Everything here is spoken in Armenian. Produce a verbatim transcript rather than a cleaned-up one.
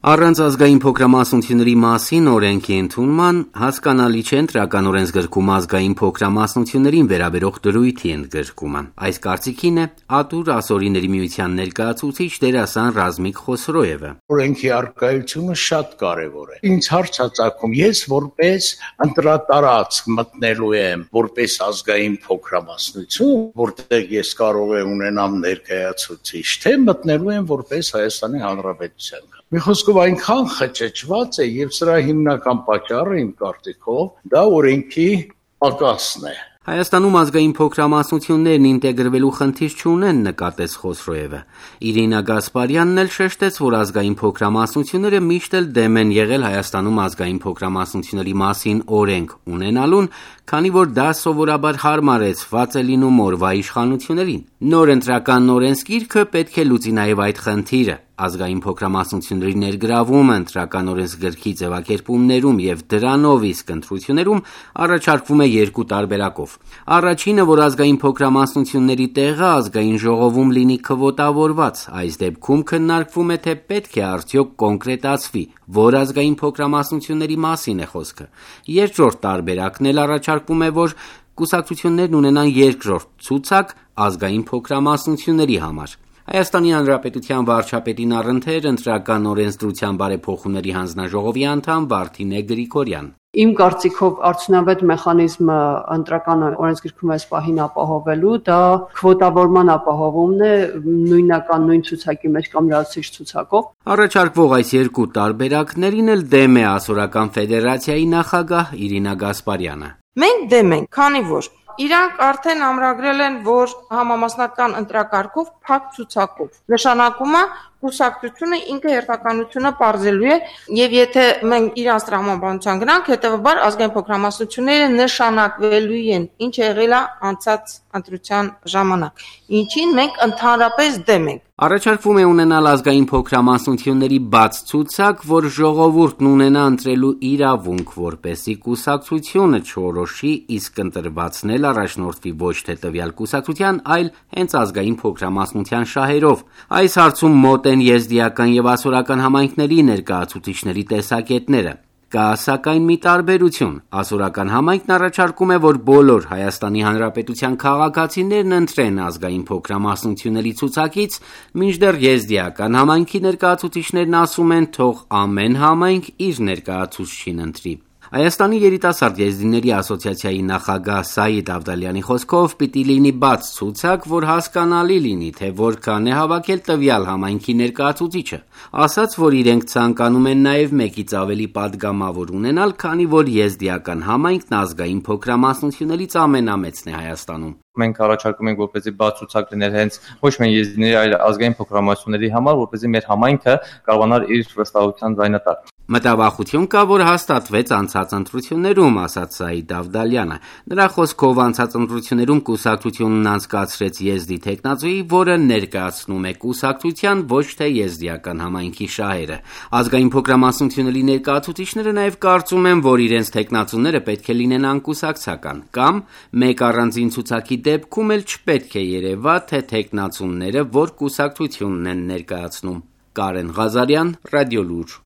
Առանց ազգային փոքրամասնությունների մասին օրենքի ընդունման հասկանալի չէ ընտրական օրենսգրքում ազգային փոքրամասնություններին վերաբերող դրույթի ընդգրկումը։ Այս կարծիքին է Ատուր ասորիների միության ներկայացուցիչ դերասան Ռազմիկ Խոսրոևը։ Օրենքի առկայությունը շատ կարևոր է։ Ինձ հարց է ծագում, ես որպես ընտրատարածք մտնելու եմ որպես ազգային փոքրամասնություն, որտեղ ես կարող եմ ունենամ ներկայացուցիչ, թե մտնելու եմ որպես Հայաստանի Հանրապետության։ Մի խոսքով այնքան խճճված է եւ սրա հիմնական պատճառը իմ կարծիքով դա օրենքի պակասն է։ Հայաստանում ազգային փոքրամասնություններն ինտեգրվելու խնդիր չունեն, նկատեց Խոսրոևը։ Իրինա Գասպարյանն էլ շեշտեց, որ ազգային փոքրամասնությունները միշտ էլ դեմ են եղել Հայաստանում ազգային փոքրամասնությունների մասին օրենք ունենալուն, քանի որ դա սովորաբար հարմարեցված է լինում օրվա իշխանություններին։ Նոր ընտրական օրենսգիրքը պետք է լուծի նաև այդ խնդիրը։ Ազգային փոքրամասնությունների ներգրավումը ընտրական օրենսգրքի ձևակերպումներում եւ դրանով իսկ ընտրություններում առաջարկվում է երկու տարբերակով։ Առաջինը, որ ազգային փոքրամասնությունների տեղը ազգային ժողովում լինի քվոտավորված, այս դեպքում քննարկվում է, թե պետք է արդյոք կոնկրետացվի, որ ազգային փոքրամասնությունների մասին է խոսքը։ Երկրորդ տարբերակն էլ առաջարկվում է, որ կուսակցություններն ունենան երկրորդ ցուցակ ազգային փոքրամասնությունների համար։ Հայաստանի Հանրապետության վարչապետին առընթեր ընտրական օրենսդրության բարեփոխումների հանձնաժողովի անդամ Վարդինե Գրիգորյան։ Իմ կարծիքով արդյունավետ մեխանիզմը ընտրական օրենսգրքում այս պահին ապահովելու դա քվոտավորման ապահովումն է նույնական նույն ցուցակի մեջ կամ լրացուցիչ ցուցակով։ Առաջարկվող այս երկու տարբերակներին էլ դեմ է Ասորական ֆեդերացիայի նախագահ Իրինա Գասպարյանը։ Մենք դեմ ենք, քանի որ իրանք արդեն ամրագրել են, որ համամասնական ընտրակարգով փակ ցուցակով նշանակում է կուսակցությունը ինքը հերթականությունը պարզելու է եւ եթե մենք իրանց տրամաբանության գնանք, հետեւաբար ազգային փոքրամասնությունները նշանակվելու են, ինչ եղել է անցած ընտրության ժամանակ, ինչին մենք ընդհանրապես դեմ ենք։ Առաջարկվում է ունենալ ազգային փոքրամասնությունների բաց ցուցակ, որ ժողովուրդն ունենա ընտրելու իրավունք, որպեսզի կուսակցությունը չորոշի, իսկ ընտրվածն էլ առաջնորդվի ոչ թե տվյալ կուսակցության, այլ հենց ազգային փոքրամասնության շահերով։ Այս հարցում մոտ են եզդիական եւ ասորական համայնքների ներկայացուցիչների տեսակետները։ Կա սակայն մի տարբերություն։ Ասորական համայնքն առաջարկում է, որ բոլոր Հայաստանի Հանրապետության քաղաքացիներն ընտրեն ազգային փոքրամասնությունների ցուցակից, մինչդեռ եզդիական համայնքի ներկայացուցիչներն ասում են, թող ամեն համայնք իր ներկայացուցչին ընտրի։ Հայաստանի երիտասարդ եզդիների ասոցիացիայի նախագահ Սաիդ Ավդալյանի խոսքով պիտի լինի բաց ցուցակ, որ հասկանալի լինի, թե որքան է հավաքել տվյալ համայնքի ներկայացուցիչը։ Ասաց, որ իրենք ցանկանում են նաև մեկից ավելի падգամավոր ունենալ, քանի որ եզդիական համայնքն ազգային փոքրամասնություններից ամենամեծն է Հայաստանում։ Մենք առաջարկում ենք, որպեսզի բաց ցուցակ լիներ հենց ոչ միայն եզդիների, այլ ազգային փոքրամասնությունների համար, որպեսզի մեր համայնքը կարողանար իր վստահության ձայնը տալ։ Մտավախություն կա, որ հաստատվեց անցած ընտրություններում, ասաց Սաիդ Ավդալյանը։ Նրա խոսքով անցած ընտրություններում կուսակցությունն անցկացրեց եզդի թեկնածուի, որը ներկայացնում է կուսակցության, ոչ թե եզդիական համայնքի շահերը։ Ազգային փոքրամասնությունների ներկայացուցիչները նաև կարծում են, որ իրենց թեկնածուները պետք է լինեն անկուսակցական, կամ մեկ առանձին ցուցակի դեպքում էլ չպետք է երևա, թե թեկնածուները որ կուսակցությունն են ներկայացնում։ Կարեն Ղազարյան, Ռադիոլուր։